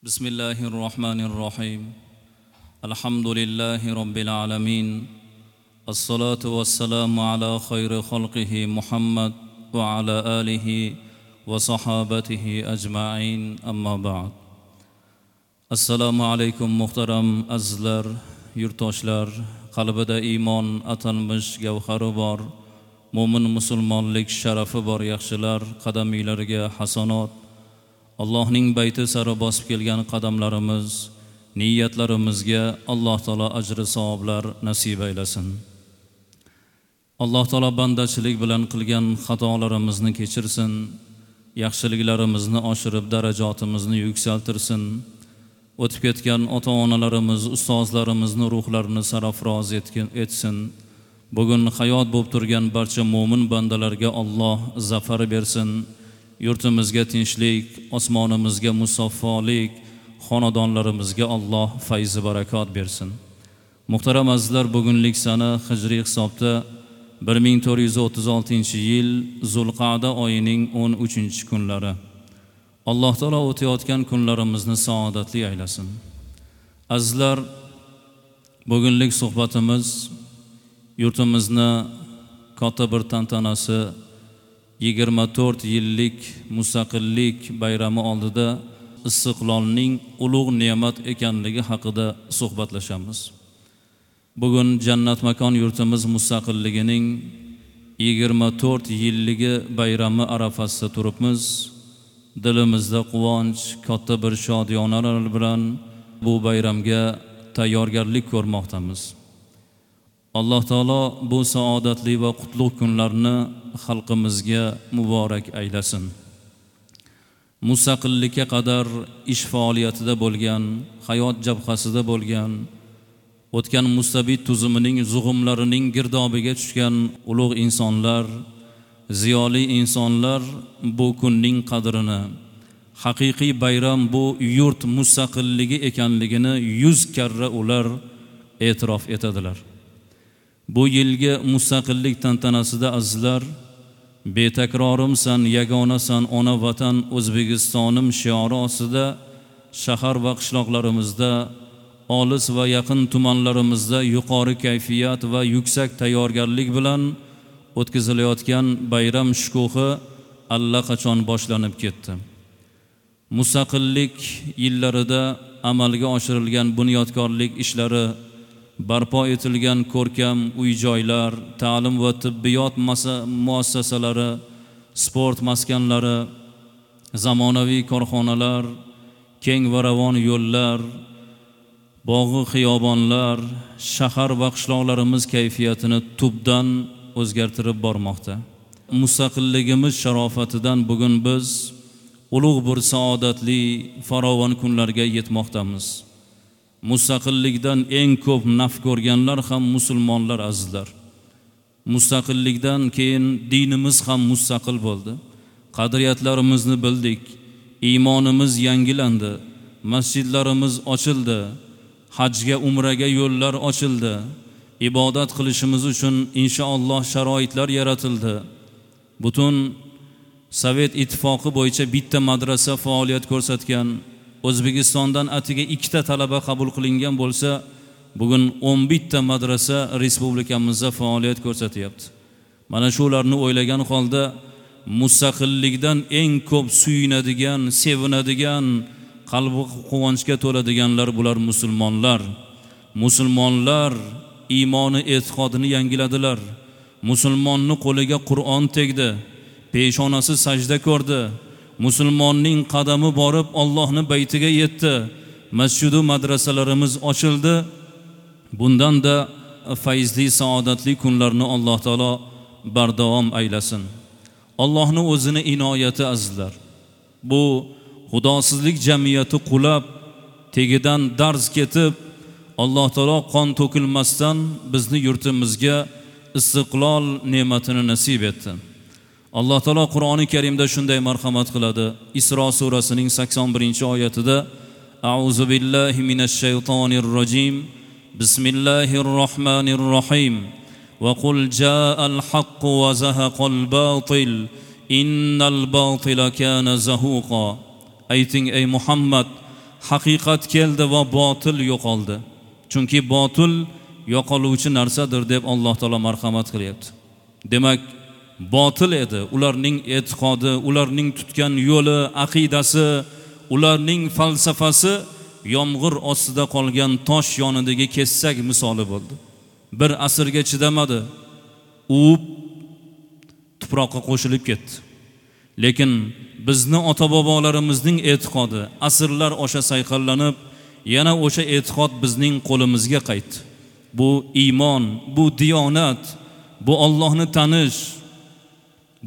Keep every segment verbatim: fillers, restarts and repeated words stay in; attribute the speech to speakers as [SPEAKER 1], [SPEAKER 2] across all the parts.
[SPEAKER 1] بسم الله الرحمن الرحيم. الحمد لله رب العالمين. الصلاة والسلام على خير خلقه محمد وعلى آله وصحابته أجمعين. أما بعد. Assalomu alaykum muhtaram azizlar, yurtdoshlar, qalbida iymon atalmish gavhari bor, mo'min musulmonlik sharafi bor yaxshilar, qadamilariga hasanot, Allohning bayti sari bosib kelgan qadamlarimiz, niyatlarimizga Alloh taolo ajri savoblar nasib aylasin. Alloh taolo bandachilik bilan qilgan xatolarimizni kechirsin, yaxshiliklarimizni oshirib darajatimizni yuksaltirsin. O'tib ketgan ota-onalarimiz, ustozlarimizni ruhlarini sarafroz etsin. Bugun hayot bo'lib turgan barcha mo'min bandalarga Alloh zafar bersin. Yurtimizga tinchlik, osmonimizga musaffolik, xonadonlarimizga Alloh fayzi barakot bersin. Muhtaram azizlar, bugunlik sana hijriy hisobda bir ming to'rt yuz o'ttiz oltinchi yil Zulqa'da oyining o'n uchinchi kunlari. Alloh taolo o'tayotgan kunlarimizni saodatli aylasin. Azizlar, bugunlik suhbatimiz yurtimizni katta bir tantanasi yigirma to'rt yillik mustaqillik bayrami oldida istiqlolning ulug' ne'mat ekanligi haqida suhbatlashamiz. Bugun jannat makon yurtimiz mustaqilligining yigirma to'rt yilligi bayrami arafasida turibmiz. Dilimizda quvonch, katta bir shodiyonalar bilan bu bayramga tayyorgarlik ko'rmoqdamiz. Alloh taolo bu saodatli va qutlug' kunlarni xalqimizga muborak aylasin. Mustaqillikka qadar ish faoliyatida bo'lgan, hayot jabhasida bo'lgan, o'tgan mustabid tuzumining zug'umlarining girdobiga tushgan ulug' insonlar, ziyoli insonlar bu kunning qadrini, haqiqiy bayram bu yurt mustaqilligi ekanligini yuz karra ular e'tirof etadilar. Bu yilgi mustaqillik tantanasida azizlar, betakrorimsan, yagonasan ona vatan O'zbekistonim shiori ostida shahar va qishloqlarimizda, olis va yaqin tumanlarimizda yuqori kayfiyat va yuksak tayyorgarlik bilan o'tkazilayotgan bayram shukuhi allaqachon boshlanib ketdi. Mustaqillik yillarida amalga oshirilgan bunyodkorlik ishlari, barpo etilgan ko'rkam uy-joylar, ta'lim va tibbiyot muassasalari, sport maskanlari, zamonaviy korxonalar, keng va ravon yo'llar, bog'i xiyobonlar shahar va qishloqlarimiz kayfiyatini tubdan o'zgartirib bormoqda. Mustaqilligimiz sharofatidan bugun biz ulug' bir saodatli farovon kunlarga yetmoqdamiz. Mustaqillikdan eng ko'p naf ko'rganlar ham musulmonlar azizlar. Mustaqillikdan keyin dinimiz ham mustaqil bo'ldi. Qadriyatlarimizni bildik, iymonimiz yangilandi, masjidlarimiz ochildi, hajga, umraga yo'llar ochildi. Ibodat qilishimiz uchun inshaalloh sharoitlar yaratildi. Butun Sovet ittifoqi bo'yicha bitta madrasa faoliyat ko'rsatgan, O'zbekistondan atiga ikkita talaba qabul qilingan bo'lsa, bugun o'n bitta madrasa respublikamizda faoliyat ko'rsatyapti. Mana shularni o'ylagan holda mustaqillikdan eng ko'p suyunadigan, sevinadigan, qalbi quvonchga to'ladiganlar bular musulmonlar. Musulmonlar iymoni e'tiqodini yangiladilar. Musulmonni qo'liga Qur'on tegdi, peshonasi sajda ko'rdi. Musulmonning qadami borib Allohning baytiga yetdi. Masjidu madrasalarimiz ochildi. Bundan da fayzli, saodatli kunlarni Alloh taolo bardavom aylasin. Allohning o'zini inoyati azizlar. Bu xudosizlik jamiyati qulab, tegidan darz ketib, Alloh taolo qon to'kilmasdan bizni yurtimizga istiqlol ne'matini nasib etdi. Alloh taolo Qur'oni Karimda shunday marhamat qiladi. Isro surasining sakson birinchi oyatida A'uzu billahi minash shaytonir rojim. Bismillahir rohmanir rohim. Va qul ja'al haqqu va zahaqal batil. Innal batila kana zahuqa. Ayting ey Muhammad, haqiqat keldi va botil yo'qoldi. Chunki botil yo'qoluvchi narsadir deb Alloh taolo marhamat qilyapti. Demak, botil edi ularning e'tiqodi, ularning tutgan yo'li, aqidasi, ularning falsafasi yomg'ir ostida qolgan tosh yonidagi kessak misoli bo'ldi. Bir asrga chidamadi, uvib tuproqqa qo'shilib ketdi. Lekin bizni ota-bobolarimizning e'tiqodi asrlar osha sayqallanib, yana o'sha e'tiqod bizning qo'limizga qaytdi. Bu iymon, bu diyonat, bu Allohni tanish,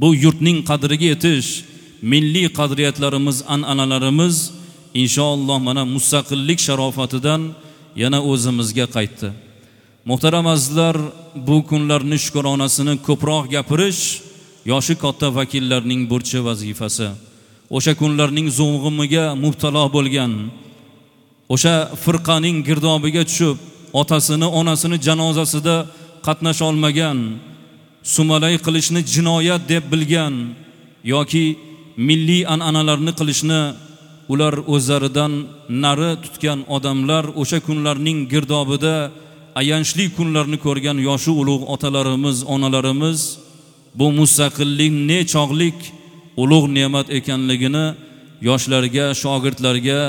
[SPEAKER 1] bu yurtning qadriga yetish, milliy qadriyatlarimiz, an'analarimiz inshaalloh mana mustaqillik sharofatidan yana o'zimizga qaytdi. Muhtaram azizlar, bu kunlarning shukronasini ko'proq gapirish yoshi katta vakillarning burchi vazifasi. O'sha kunlarning zo'g'imiga mubtalo bo'lgan, o'sha firqaning girdobiga tushib, otasini, onasini janozasida qatnasha olmagan, sumalay qilishni jinoyat deb bilgan yoki milliy an'analarni qilishni ular o'zlaridan nari tutgan odamlar o'sha kunlarning girdobida ayanchli kunlarni ko'rgan yoshi ulug' otalarimiz, onalarimiz bu mustaqillik nechog'lik ulug' ne'mat ekanligini yoshlarga, shogirdlarga,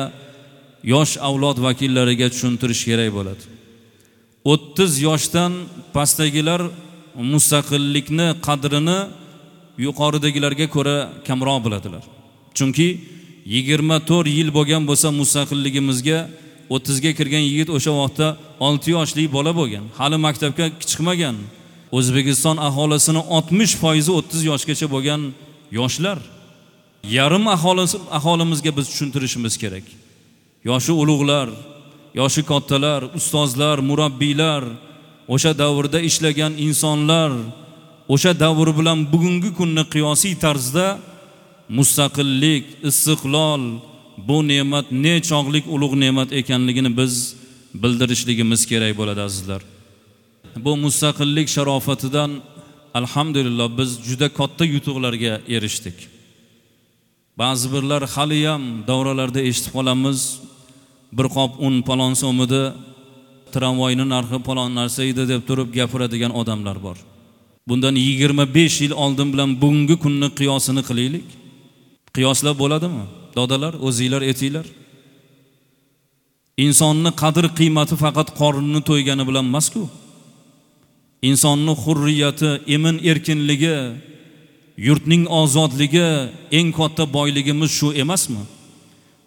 [SPEAKER 1] yosh avlod vakillariga tushuntirish kerak bo'ladi. o'ttiz yoshdan pastdagilar mustaqillikni qadrini yuqoridagilarga ko'ra kamroq biladilar. Chunki yigirma to'rt yil bo'lgan bo'lsa mustaqilligimizga o'ttizga kirgan yigit o'sha vaqtda olti yoshli bola bo'lgan, hali maktabga chiqmagan. O'zbekiston aholisini oltmish foizi o'ttiz yoshgacha bo'lgan yoshlar. Yarim aholisi aholimizga biz tushuntirishimiz kerak. Yoshi ulug'lar, yoshi kattalar, ustozlar, murabbiylar, o'sha davrda ishlagan insonlar o'sha davr bilan bugungi kunni qiyosiy tarzda mustaqillik, istiqlol bu ne'mat nechog'lik ulug' ne'mat ekanligini biz bildirishligimiz kerak bo'ladi azizlar. Bu mustaqillik sharofatidan alhamdulillah biz juda katta yutuqlarga erishdik. Ba'zi birlar hali ham davralarda eshitib qolamiz, bir qop un palon so'm edi, tramvayning narxi palon narsa edi deb turib gapiradigan odamlar bor. Bundan yigirma besh yil oldin bilan bugungi kunni qiyosini qilaylik. Qiyoslab bo'ladimi? Dodalar, o'zinglar etinglar. Insonni qadr qiymati faqat qornini to'ygani bilan emas-ku. Insonni hurriyati, emin erkinligi, yurtning ozodligi eng katta boyligimiz shu emasmi?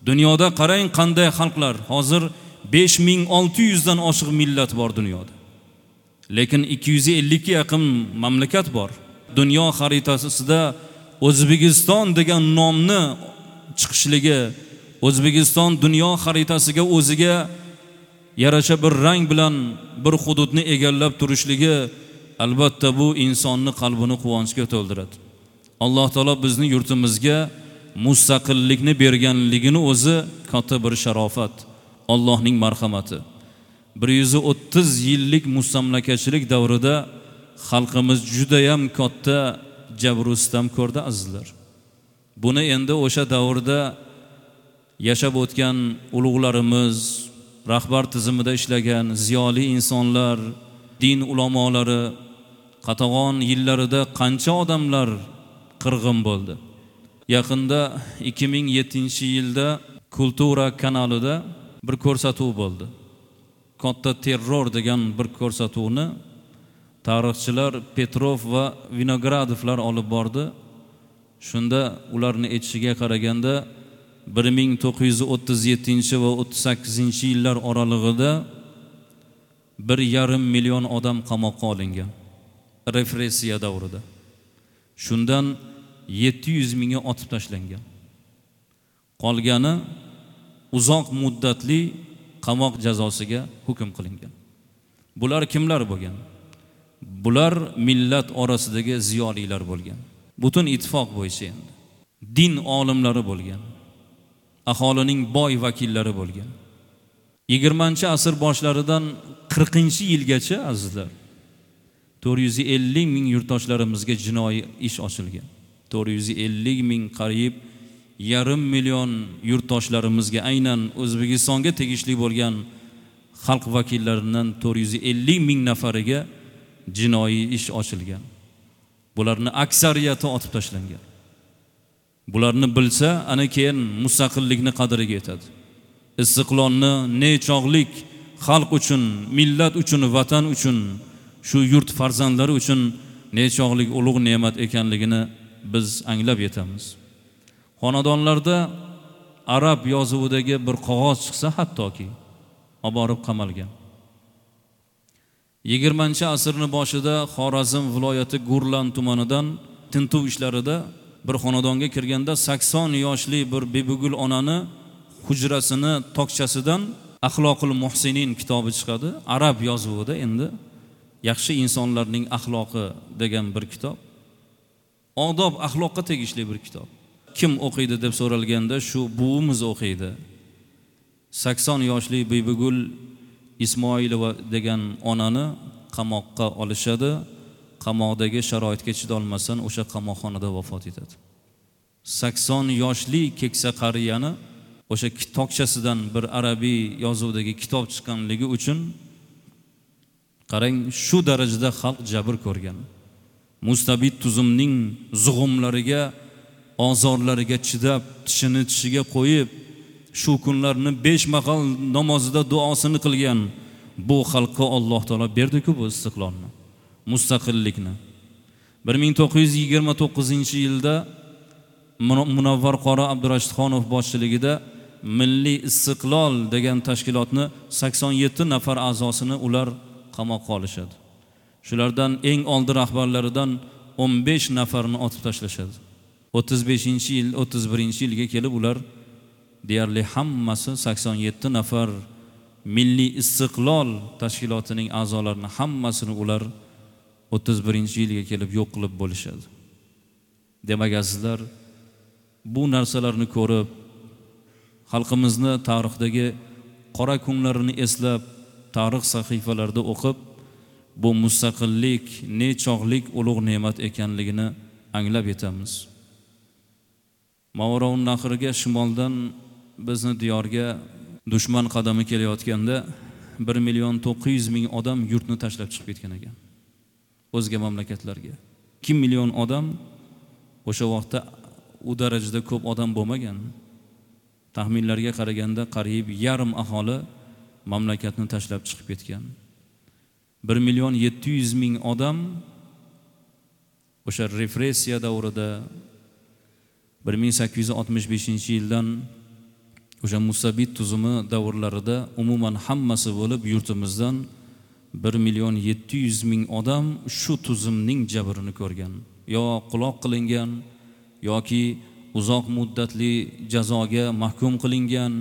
[SPEAKER 1] Dunyoda qarang qanday xalqlar, hozir besh ming olti yuzdan oshiq millat bor dunyoda. Lekin ikki yuz ellikka yaqin mamlakat bor. Dunyo xaritasida O'zbekiston degan nomni chiqishligi, O'zbekiston dunyo xaritasiga o'ziga yarasha bir rang bilan bir hududni egallab turishligi albatta bu insonni qalbini quvonchga to'ldiradi. Alloh taolo bizni yurtimizga mustaqillikni berganligini o'zi katta bir sharofat, Allohning marhamati. bir yuz o'ttiz yillik mustamlakachilik davrida xalqimiz juda ham katta jabr sitam ko'rdi azizlar. Buni endi o'sha davrda yashab o'tgan ulug'larimiz, rahbar tizimida ishlagan ziyoli insonlar, din ulamolari qatag'on yillarida qancha odamlar qirg'in bo'ldi. Yaqinda ikki ming yettinchi yilda Kultura kanalida bir ko'rsatuv bo'ldi. Katta terror degan bir ko'rsatuvni tarixchilar Petrov va Vinogradovlar olib bordi. Shunda ularni aytishiga qaraganda bir ming to'qqiz yuz o'ttiz yettinchi va o'ttiz sakkizinchi yillar oralig'ida bir yarim million odam qamoqqa olingan repressiya davrida. Shundan yetti yuz mingi otib tashlangan. Qolgani uzoq muddatli qamoq jazosiga hukm qilingan. Bular kimlar bo'lgan? Bular millat orasidagi ziyolilar bo'lgan. Butun ittifoq bo'yicha endi din olimlari bo'lgan. Aholining boy vakillari bo'lgan. yigirmanchi asr boshlaridan qirqinchi yilgacha azizlar to'rt yuz ellik ming yurtdoshlarimizga jinoiy ish ochilgan. to'rt yuz ellik ming qariyb yarim million yurtdoshlarimizga, aynan O'zbekistonga tegishli bo'lgan xalq vakillaridan to'rt yuz ellik ming nafariga jinoiy ish ochilgan. Bularni aksariyati otib tashlangan. Bularni bilsa, ana keyin mustaqillikni qadriga yetadi. Istiqlolni nechog'lik xalq uchun, millat uchun, vatan uchun, shu yurt farzandlari uchun nechog'lik ulug' ne'mat ekanligini biz anglab yetamiz. Xonadonlarda arab yozuvidagi bir qog'oz chiqsa, hattoki olib borib qamalgan. Yigirmanchi asrning boshida Xorazm viloyati Gurlan tumanidan tintuv ishlarida bir xonadonga kirganda sakson yoshli bir Bibigul onani hujrasini tokchasidan Axloqul Muhsinin kitobi chiqadi. Arab yozuvida, endi yaxshi insonlarning axloqi degan bir kitob. Odob axloqqa tegishli bir kitob. Kim o'qiydi deb so'ralganda shu buvimiz o'qiydi. sakson yoshli Bibigul Ismoilova degan onani qamoqqa olishadi. Qamoqdagi sharoitga chidolmasdan o'sha qamoqxonada vafot etadi. sakson yoshli keksa qariyani o'sha tokchasidan bir arabiy yozuvdagi kitob chiqqanligi uchun qarang, shu darajada xalq jabr ko'rgan. Mustabid tuzumning zug'umlariga, ozorlariga chidab, tishini tishiga qo'yib, shu kunlarni besh mahal namozida duosini qilgan bu xalqqa Alloh taolo berdi-ku bu istiqlolni, mustaqillikni. bir ming to'qqiz yuz yigirma to'qqizinchi yilda Munavvar qori Abdurashidxonov boshchiligida Milliy Istiqlol degan tashkilotni sakson yetti nafar a'zosini ular qamoqqa olishadi. Shulardan eng oldi rahbarlaridan o'n besh nafarini otib tashlashadi. o'ttiz beshinchi yil, o'ttiz birinchi yilga kelib ular deyarli hammasi sakson yetti nafar Milliy Istiqlol tashkilotining a'zolarini hammasini ular o'ttiz birinchi yilga kelib yo'q qilib bo'lishadi. Demak, azizlar, bu narsalarni ko'rib, xalqimizni tarixdagi qora kunlarini eslab, tarix sahifalarida o'qib, bu mustaqillik nechog'lik ulug' ne'mat ekanligini anglab yetamiz. Mavroun nahriga shimoldan bizni diyorga dushman qadami kelayotganda bir million to'qqiz yuz ming odam yurtni tashlab chiqib ketgan ekan o'zga mamlakatlarga. ikki million odam o'sha vaqtda u darajada ko'p odam bo'lmagan. Taxminlarga qaraganda qariyb yarim aholi mamlakatni tashlab chiqib ketgan. bir million yetti yuz ming odam o'sha repressiya davrida bir ming sakkiz yuz oltmish beshinchi yildan o'sha musabit tuzumi davrlarida umuman hammasi bo'lib yurtimizdan bir million yetti yuz ming odam shu tuzumning jabrini ko'rgan. Yo quloq qilingan yoki uzoq muddatli jazoga mahkum qilingan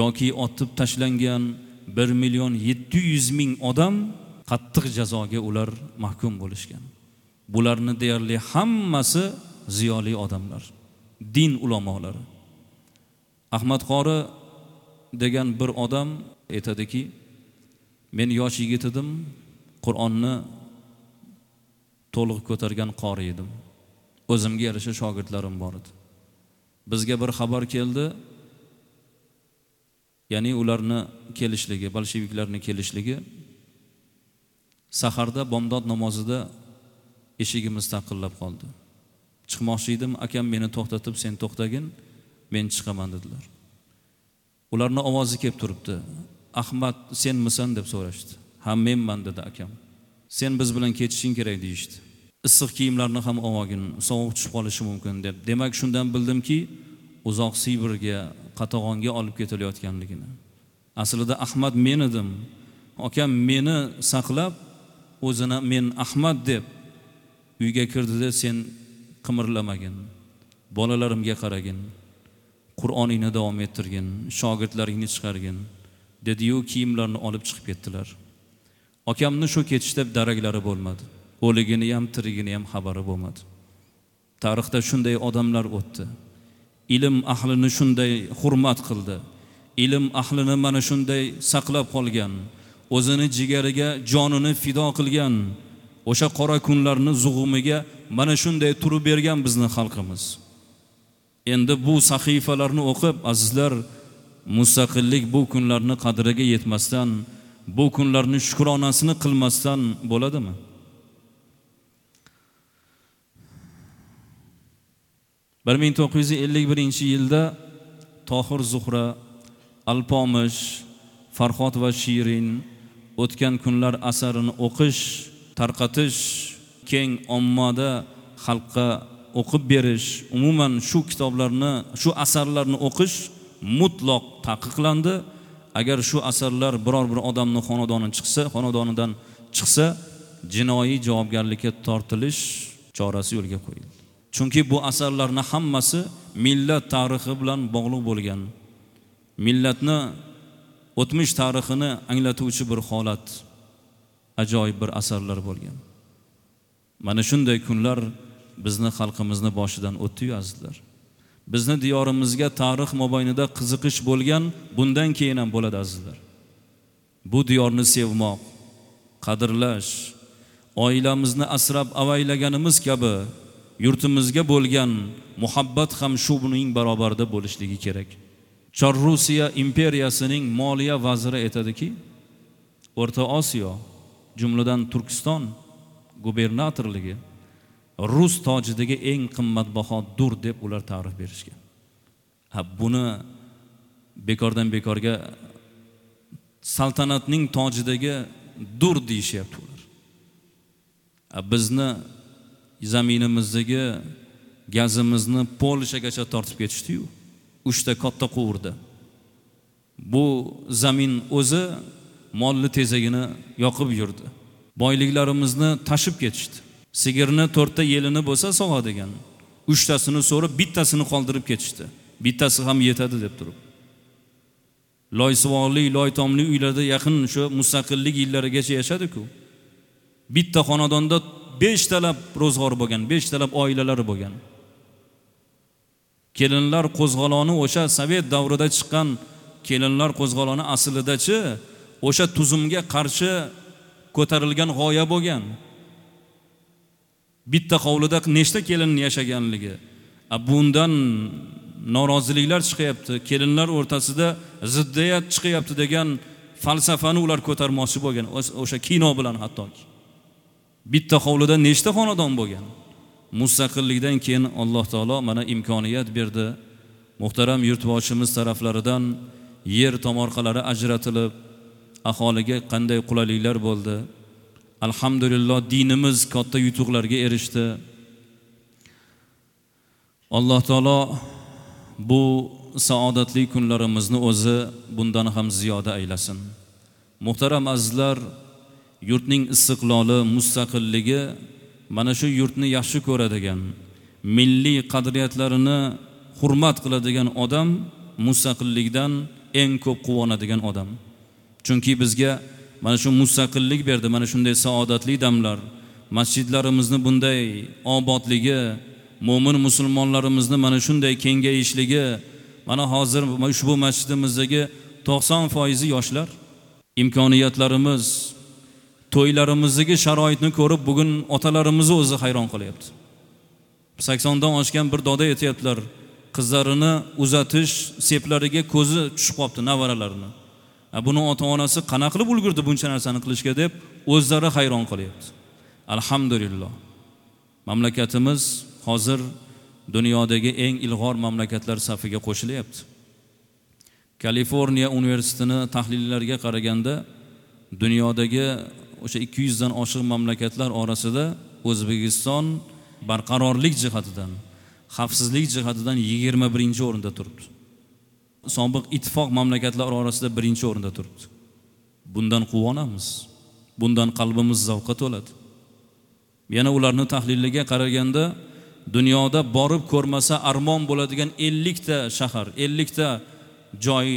[SPEAKER 1] yoki otib tashlangan bir million yetti yuz ming odam qattiq jazoga ular mahkum bo'lishgan. Bularni deyarli hammasi ziyoli odamlar, din ulamolari. Ahmad Qori degan bir odam aytadiki, men yosh yigit edim, Qur'onni to'liq ko'targan qori edim. O'zimga yarasha shogirdlarim bor edi. Bizga bir xabar keldi, ya'ni ularni kelishligi, bolsheviklarning kelishligi saharda bomdod namozida eshigimiz taqillab qoldi. Chiqmoqchi edim, akam meni to'xtatib, sen to'xtagin, men chiqaman dedilar. Ularning ovozi kelib turibdi. Ahmad, senmisan deb so'rashdi. Ha, menman dedi akam. Sen biz bilan ketishing kerak deyishdi. Issiq kiyimlarni ham olgin, sovuq tushib qolishi mumkin deb. Demak, shundan bildimki, uzoq Sibirga, Qatag'onga olib ketilayotganligini. Aslida Ahmad men edim. Akam meni saqlab, o'zini men Ahmad deb uyga kirdida, sen qimirlamagin, bolalarimga qaragin, Qur'oningni davom ettirgin, shogirdlaringni chiqargin dedi-yu kiyimlarini olib chiqib ketdilar. Akamni shu ketishda daraklari bo'lmadi. O'ligini ham, tirigini ham xabari bo'lmadi. Tarixda shunday odamlar o'tdi. Ilm ahlini shunday hurmat qildi. Ilm ahlini mana shunday saqlab qolgan, o'zini jigariga jonini fido qilgan, o'sha qora kunlarni zug'umiga mana shunday turib bergan bizni xalqimiz. Endi bu sahifalarni o'qib, azizlar, mustaqillik bu kunlarni qadriga yetmasdan, bu kunlarni shukronasini qilmasdan bo'ladimi? bir ming to'qqiz yuz ellik birinchi yilda Tohir Zuhra, Alpomish, Farhod va Shirin o'tgan kunlar asarini o'qish, tarqatish, keng ommada xalqqa o'qib berish, umuman shu kitoblarni, shu asarlarni o'qish mutlaq taqiqlandi. Agar shu asarlar biror bir odamning xonadonidan chiqsa, xonadonidan chiqsa, jinoiy javobgarlikka tortilish chorasi yo'lga qo'yildi. Chunki bu asarlarning hammasi millat tarixi bilan bog'liq bo'lgan, millatni o'tmish tarixini anglatuvchi bir holat, ajoyib bir asarlar bo'lgan. Mana shunday kunlar bizni xalqimizni boshidan o'tdi-yu, azizlar. Bizni diyorimizga tarix mobaynida qiziqish bo'lgan, bundan keyin ham bo'ladi, azizlar. Bu diyorni sevmoq, qadrlash, oilamizni asrab avaylaganimiz kabi yurtimizga bo'lgan muhabbat ham shu buning barobarida bo'lishligi kerak. Chor Rusiya imperiyasining moliya vaziri aytadiki, O'rta Osiyo, jumladan Turkiston gubernatorligi rus tojidagi eng qimmatbaho dur deb ular ta'rif berishgan. Ha, buni bekordan bekorga saltanatning tojidagi dur deyishyapti ular. Ha, bizni zaminimizdagi gazimizni Polshagacha tortib ketishdi-yu, uchta katta quvurda. Bu zamin o'zi molli tezagini yoqib yurdi. Boyliklarimizni tashib ketishdi. Sigirni to'rtta yelini bo'lsa sog'adigan, uchtasini so'rib, bittasini qoldirib ketishdi. Bittasi ham yetadi deb turib. Loysuvoqli, loytomli uylarda yaqin shu mustaqillik yillarigacha yashadi-ku. Bitta xonadonda beshtalab ro'zg'or bo'lgan, beshtalab oilalari bo'lgan. Kelinlar qo'zg'oloni o'sha sovet davrida chiqqan kelinlar qo'zg'oloni aslidachi o'sha tuzumga qarshi ko'tarilgan g'oya bo'lgan. Bitta hovlida nechta kelin yashaganligi, bundan noroziliklar chiqyapti, kelinlar o'rtasida ziddiyat chiqyapti degan falsafani ular ko'tarmoqchi bo'lgan o'sha kino bilan hattoki. Bitta hovlida nechta xonadon bo'lgan. Mustaqillikdan keyin Alloh taolo mana imkoniyat berdi. Muhtaram yurtboshimiz taraflaridan yer tomorqalari ajratilib, aholiga qanday qulayliklar bo'ldi. Alhamdulillah, dinimiz katta yutuqlarga erishdi. Alloh taolo bu saodatli kunlarimizni o'zi bundan ham ziyoda aylasin. Muhtaram azizlar, yurtning istiqloli, mustaqilligi mana shu yurtni yaxshi ko'radigan, milliy qadriyatlarini hurmat qiladigan odam mustaqillikdan eng ko'p quvonadigan odam. Chunki bizga mana shu mustaqillik berdi, mana shunday saodatli damlar, masjidlarimizni bunday obodligi, mo'min musulmonlarimizni mana shunday kengayishligi, mana hozir ushbu masjidimizdagi to'qson foizi yoshlar, imkoniyatlarimiz, to'ylarimizdagi sharoitni ko'rib bugun otalarimizni o'zi hayron qolyapti. saksondan oshgan bir doda aytyaptilar, qizlarini uzatish seplariga ko'zi tushib qolibdi nevaralarini. Buni ota-onasi qana qilib ulgurdi buncha narsani qilishga deb o'zlari hayron qolyapti. Alhamdulillah. Mamlakatimiz hozir dunyodagi eng ilg'or mamlakatlar safiga qo'shilyapti. Kaliforniya universitetini tahlillariga qaraganda dunyodagi o'sha ikki yuzdan oshiq mamlakatlar orasida O'zbekiston barqarorlik jihatidan, xavfsizlik jihatidan yigirma birinchi o'rinda turibdi. Sobiq ittifoq mamlakatlari orasida birinchi o'rinda turibdi. Bundan quvonamiz. Bundan qalbimiz zavqqa to'ladi. Yana ularni tahliliga qaraganda dunyoda borib ko'rmasa armon bo'ladigan ellikta shahar, ellikta joy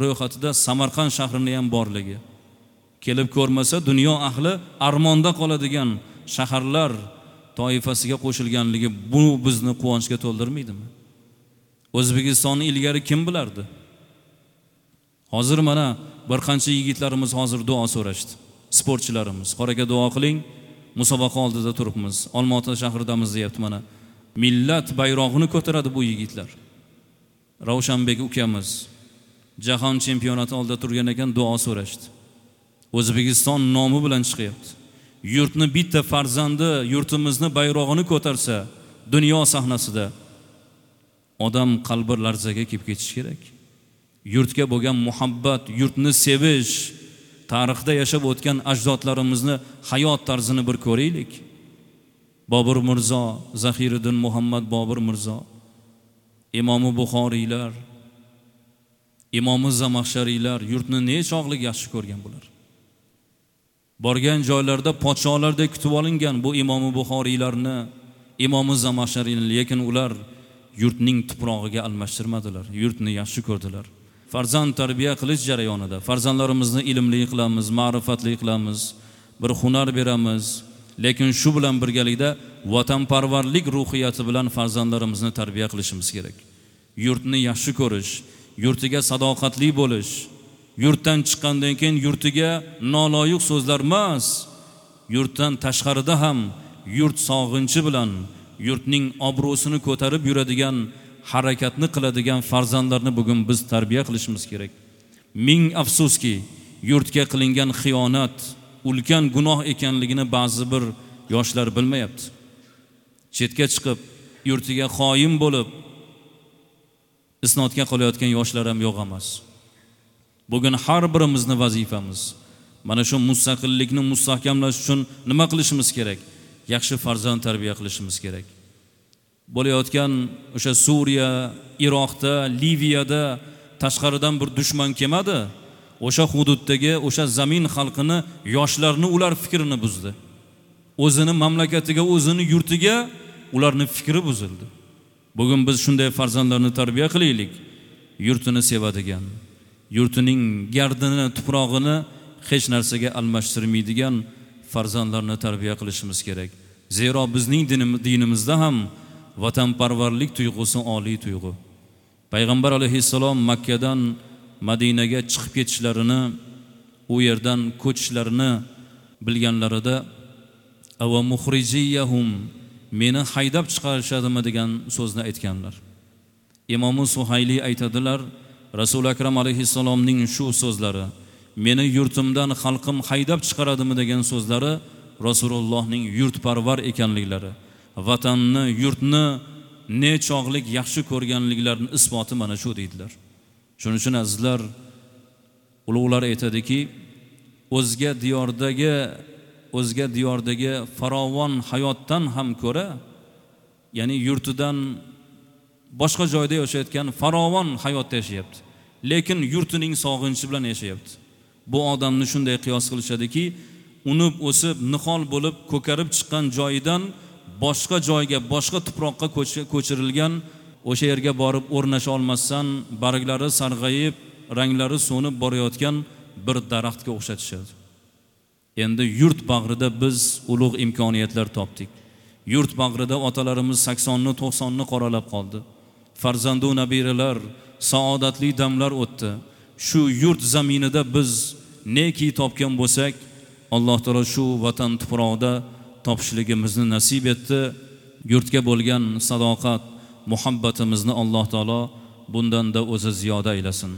[SPEAKER 1] ro'yxatida Samarqand shahrini ham borligi. Kelib ko'rmasa dunyo ahli armonda qoladigan shaharlar toifasiga qo'shilganligi bu bizni quvonchga to'ldirmaydimi? O'zbekistonni ilgari kim bilardi? Hozir mana bir qancha yigitlarimiz hozir duo so'rashdi. Sportchilarimiz, qoraka duo qiling, musobaqa oldida turibmiz. Olmaota shahridamiz deyapti mana. Millat bayrog'ini ko'taradi bu yigitlar. Ravshanbek ukamiz jahon chempionati oldida turgan ekan, duo so'rashdi. O'zbekiston nomi bilan chiqyapti. Yurtni bitta farzandi yurtimizni bayrog'ini ko'tarsa dunyo sahnasida odam qalbi larzaga kelib ketishi kerak. Yurtga bo'lgan muhabbat, yurtni sevish, tarixda yashab o'tgan ajdodlarimizni hayot tarzini bir ko'raylik. Bobur Mirzo, Zahiriddin Muhammad Bobur Mirzo, Imomi Buxoriylar, Imomi Zamaxshariylar yurtni nechog'lik yaxshi ko'rgan bular. Borgan joylarda podsholardek kutib olingan bu Imomi Buxoriylarni, Imomi Zamaxshariyni, lekin ular yurtning tuprog'iga almashtirmadilar, yurtni yaxshi ko'rdilar. Farzand tarbiya qilish jarayonida farzandlarimizni ilmli qilamiz, ma'rifatli qilamiz, bir hunar beramiz, lekin shu bilan birgalikda vatanparvarlik ruhiyati bilan farzandlarimizni tarbiya qilishimiz kerak. Yurtni yaxshi ko'rish, yurtiga sadoqatli bo'lish, yurtdan chiqqandan keyin yurtiga noloyiq so'zlar emas, yurtdan tashqarida ham yurt sog'inchi bilan yurtning obro'sini ko'tarib yuradigan harakatni qiladigan farzandlarni bugun biz tarbiya qilishimiz kerak. Ming afsuski, yurtga qilingan xiyonat ulkan gunoh ekanligini ba'zi bir yoshlar bilmayapti. Chetga chiqib, yurtiga xoin bo'lib isnodga qolayotgan yoshlar ham yo'q emas. Bugun har birimizni vazifamiz mana shu mustaqillikni mustahkamlash uchun nima qilishimiz kerak? Yaxshi farzand tarbiya qilishimiz kerak. Bo'layotgan o'sha Suriya, Iroqda, Liviyada tashqaridan bir dushman kelmadi. O'sha hududdagi o'sha zamin xalqini, yoshlarni ular fikrini buzdi. O'zini mamlakatiga, o'zini yurtiga ularni fikri buzildi. Bugun biz shunday farzandlarni tarbiya qilaylik. Yurtini sevadigan, yurtining gardini, tuprog'ini hech narsaga almashtirmaydigan farzandlarni tarbiya qilishimiz kerak. Zero bizning dinimizda ham vatanparvarlik tuyg'usi oliy tuyg'u. Payg'ambar alayhissalom Makkadan Madinaga chiqib ketishlarini, u yerdan ko'chishlarini bilganlarida ava muxrijiyahum, meni haydab chiqarishadimi degan so'zni aytganlar. Imom Suhayli aytadilar, Rasul Akram alayhissalomning shu so'zlari, meni yurtimdan xalqim haydab chiqaradimi degan so'zlari Rasulullohning yurtparvar ekanliklari, vatanni, yurtni nechog'lik yaxshi ko'rganliklarining isboti mana shu deydilar. Shuning uchun azizlar, ulug'lar aytadiki, o'zga diyordagi o'zga diyordagi farovon hayotdan ham ko'ra, ya'ni yurtidan boshqa joyda yashayotgan farovon hayotda yashayapti, lekin yurtining sog'inchi bilan yashayapti. Bu odamni shunday qiyos qilishadiki, unib o'sib nihol bo'lib ko'karib chiqqan joyidan boshqa joyga, boshqa tuproqqa ko'chirilgan, o'sha yerga borib o'rnasha olmasdan barglari sarg'ayib, ranglari so'nib borayotgan bir daraxtga o'xshatishadi. Endi yurt bag'rida biz ulug' imkoniyatlar topdik. Yurt bag'rida otalarimiz saksonni, to'qsonni qoralab qoldi. Farzandu nabiralar, saodatli damlar o'tdi. Shu yurt zaminida biz neki topgan bo'lsak, Alloh taolo shu vatan tuprog'ida topishligimizni nasib etdi. Yurtga bo'lgan sadoqat, muhabbatimizni Alloh taolo bundan da o'zi ziyoda aylasin.